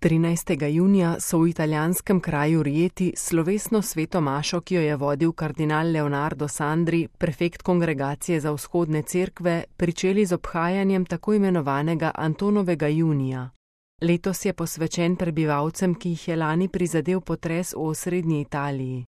13. junija so v italijanskem kraju Rieti slovesno sveto mašo, ki jo je vodil kardinal Leonardo Sandri, prefekt Kongregacije za vzhodne cerkve, pričeli z obhajanjem tako imenovanega Antonovega junija. Letos je posvečen prebivalcem, ki jih je lani prizadel potres v osrednji Italiji.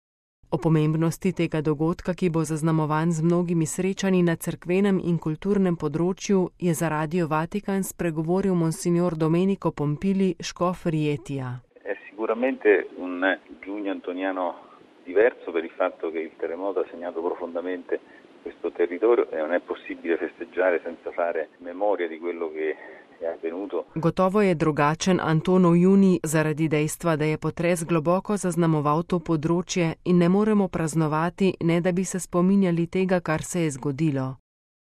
O pomembnosti tega dogodka, ki bo zaznamovan z mnogimi srečanji na cerkvenem in kulturnem področju, je za Radio Vatikan spregovoril monsignor Domenico Pompili, škof Rietija. È sicuramente un giugno antoniano diverso per il fatto che il terremoto ha segnato profondamente questo territorio e non è possibile festeggiare senza fare memoria di quello che è avvenuto. Gotovo je drugačen Antonov junij zaradi dejstva, da je potres globoko zaznamoval to področje in ne moremo praznovati, ne da bi se spominjali tega, kar se je zgodilo.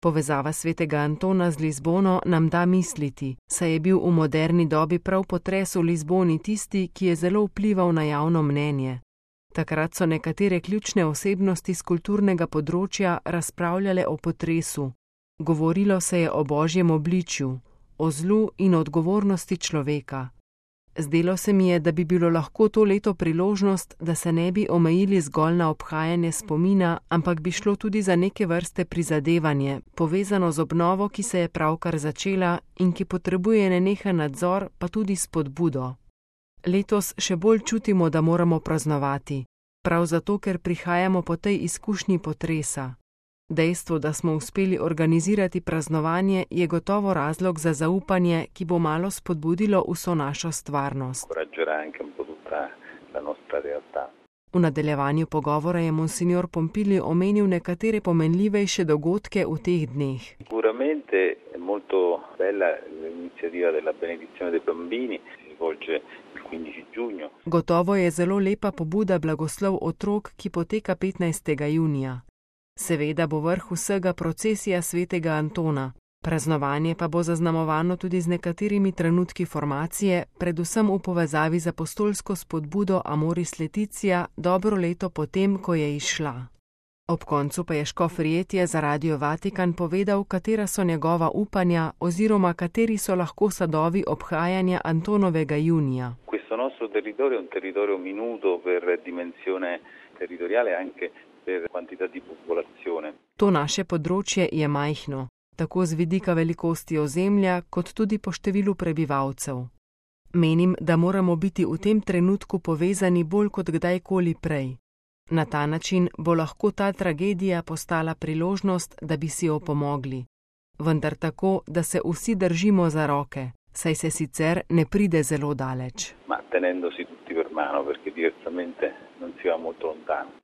Povezava svetega Antona z Lizbono nam da misliti, saj je bil v moderni dobi prav potres v Lizboni tisti, ki je zelo vplival na javno mnenje. Takrat so nekatere ključne osebnosti z kulturnega področja razpravljale o potresu. Govorilo se je o božjem obličju, o zlu in odgovornosti človeka. Zdelo se mi je, da bi bilo lahko to leto priložnost, da se ne bi omejili zgolj na obhajanje spomina, ampak bi šlo tudi za neke vrste prizadevanje, povezano z obnovo, ki se je pravkar začela in ki potrebuje nenehen nadzor, pa tudi spodbudo. Letos še bolj čutimo, da moramo praznovati, prav zato, ker prihajamo po tej izkušnji potresa. Dejstvo, da smo uspeli organizirati praznovanje, je gotovo razlog za zaupanje, ki bo malo spodbudilo vso našo stvarnost. V nadaljevanju pogovora je monsignor Pompili omenil nekatere pomenljivejše dogodke v teh dneh. Sicuramente è molto bella l'iniziativa della benedizione dei bambini, si svolge il 15 giugno. Gotovo je zelo lepa pobuda blagoslov otrok, ki poteka 15. junija. Seveda bo vrh vsega procesija svetega Antona. Praznovanje pa bo zaznamovano tudi z nekaterimi trenutki formacije, predvsem v povezavi z apostolsko spodbudo Amoris Laetitia dobro leto potem, ko je izšla. Ob koncu pa je škof Rietija za Radio Vatikan povedal, katera so njegova upanja oziroma kateri so lahko sadovi obhajanja Antonovega junija. Questo nostro territorio è un territorio minuto per dimensione territoriale anche per quantità di popolazione. To naše področje je majhno, tako z vidika velikosti ozemlja, kot tudi po številu prebivalcev. Menim, da moramo biti v tem trenutku povezani bolj kot kdajkoli prej. Na ta način bo lahko ta tragedija postala priložnost, da bi si opomogli. Vendar tako, da se vsi držimo za roke, saj se sicer ne pride zelo daleč. Ma tenendosi tutti per mano, perché diversamente non si va molto lontano.